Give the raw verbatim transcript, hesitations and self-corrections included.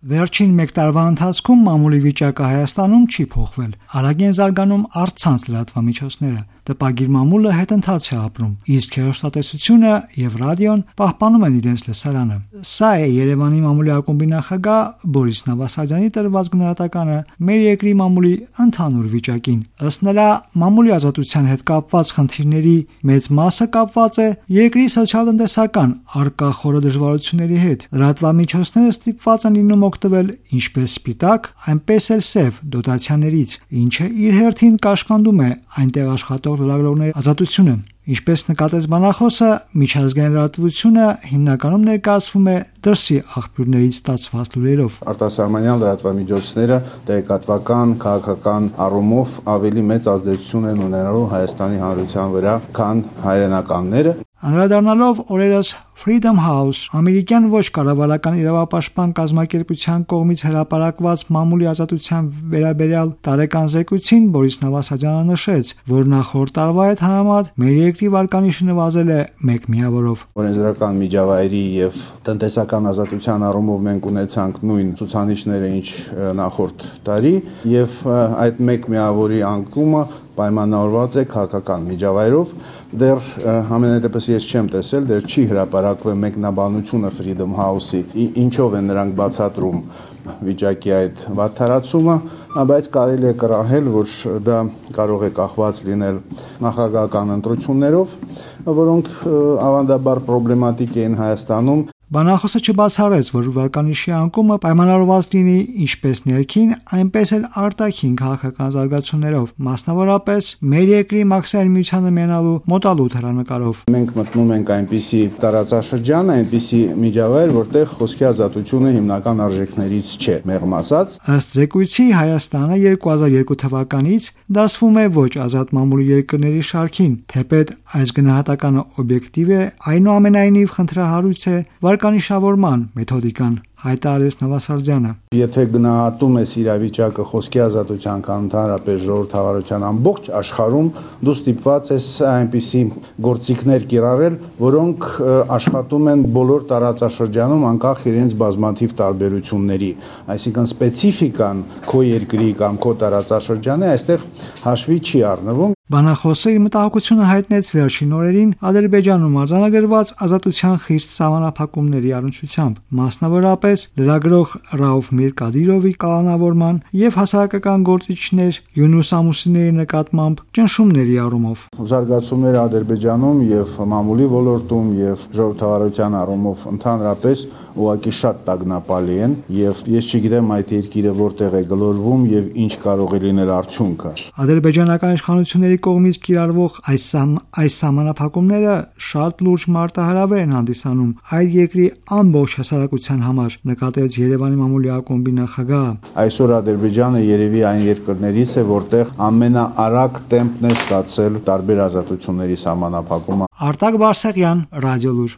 Վերջին մեկ տարվա ընթացքում մամուլի վիճակը Հայաստանում չի փոխվել։ Արագ են զարգանում առցանց լրատվամիջոցները։ Տպագիր մամուլը հետընթաց է ապրում, իսկ հեռուստատեսությունը եւ ռադիոն պահպանում են իրենց լսարանը։ Սա է Երևանի մամուլի ակումբի նախագահ Բորիս Նավասարդյանի տրված գնահատականը մեր երկրի մամուլի ընդհանուր վիճակին։ Ըստ նրա, մամուլի ազատության հետ կապված խնդիրների մեծ մասը կապված է երկրի սոցիալ-տնտեսական առկա խորը դժվարությունների հետ։ Լրատվամիջոցները ստիպված են լինում օգտվել ինչպես սպիտակ, այնպես էլ սև դոտացիաներից, ինչը իր հերթին կաշկանդում է այնտեղ աշխատող լրագրողների ազատությունը։ Ինչպես նկատեց բանախոսը, միջազգային լրատվությունը հիմնականում ներկայացվում է դրսի աղբյուրներից ստացված լուրերով։ Արտասահմանյան լրատվամիջոցները տեղեկատվական, քաղաքական առումով ավելի մեծ ազդեցություն են ունենալու Հայաստանի Հանրության վրա, քան հայրենականները։ Անդրադառնալով օրերս Freedom House, ամերիկյան ոչ կառավարական իրավապաշտպան կազմակերպության կողմից հրապարակված մամուլի ազատության վերաբերյալ տարեկան զեկույցին, Բորիս Նավասարդյանը նշեց, որ նախորդ տարվա հետ համեմատ մեր երկրի վարկանիշը նվազել է մեկ միավորով։ Օրենսդրական միջավայրի եւ տնտեսական ազատության առումով մենք ունեցանք նույն ցուցանիշները, ինչ նախորդ տարի, եւ այդ մեկ միավորի անկումը պայմանավորված է քաղաքական միջավայրով։ Դեռ համենայնդեպս ես չեմ տեսել, դեռ չի հրապարակվել մեկնաբանությունը Freedom House-ի, ինչով են նրանք բացատրում վիճակի այդ վատթարացումը, բայց կարելի է կռահել, որ դա կարող է կախված լինել նախագահական ընտրություններով, որոնք ավանդաբար պրոբլեմատիկ էին Հայաստանում։ Բանախոսը չբացառեց, որ վարկանիշի անկումը պայմանավորված լինի ինչպես ներքին, այնպես էլ արտաքին քաղաքական զարգացումներով, մասնավորապես մեր երկրի մաքսային միությանը մենալու մոտալուտ հեռանկարով։ Մենք մտնում ենք այնպիսի տարածաշրջան, այնպիսի միջավայր, որտեղ խոսքի ազատությունը հիմնական արժեքներից չէ, մեղմ ասած։ Ըստ զեկույցի Հայաստանը երկու հազար երկու թվականից դասվում է ոչ ազատ մամուլի երկրների շարքին, թեպետ այս գնահատականը օբյեկտիվ է, այնուամենայնիվ խնդրահարույց է վարկանիշավորման մեթոդիկան, հայտարարեց Նավասարդյանը։ Եթե գնահատում ես իրավիճակը խոսքի ազատության կամ ընդհանրապես ժողովրդավարության ամբողջ աշխարհում, դու ստիպված ես այնպիսի գործիքներ կիրառել, որոնք աշխատում են բոլոր տարածաշրջանում անկախ իրենց բազմաթիվ տարբերությունների, այսինքն սպეციფიკան քո երկրի կամ քո տարածաշրջանի այստեղ հաշվի չի առնվում։ Բանախոսը իր մտահոգությունը հայտնեց վերջին օրերին Ադրբեջանում արձանագրված ազատության խիստ սահմանափակումների առնչությամբ, մասնավորապես լրագրող Ռաուֆ Միրկադիրովի կալանավորման եւ հասարակական գործիչներ Յունուս Ամուսինների նկատմամբ ճնշումների առումով։ Զարգացումները Ադրբեջանում եւ մամուլի ոլորտում եւ ժողովրդավարության առումով ընդհանրապես ուղղակի շատ տագնապալի են եւ ես չգիտեմ այդ երկիրը որտեղ է գլորվում եւ ինչ կարող է լինել արդյունքը։ Ադրբեջանական իշխանությունների կողմից կիրառվող այս այս սահմանափակումները շատ լուրջ մարտահրավեր են հանդիսանում այդ երկրի ամբողջ հասարակության համար, նկատեց Երևանի մամուլի ակումբի նախագահը։ Այսօր Ադրբեջանը երևի այն երկրներից է, որտեղ ամենաարագ տեմպն է ստացել տարբեր ազատությունների սահմանափակումը։ Արտակ Բարսեղյան, Ռադիոլուր։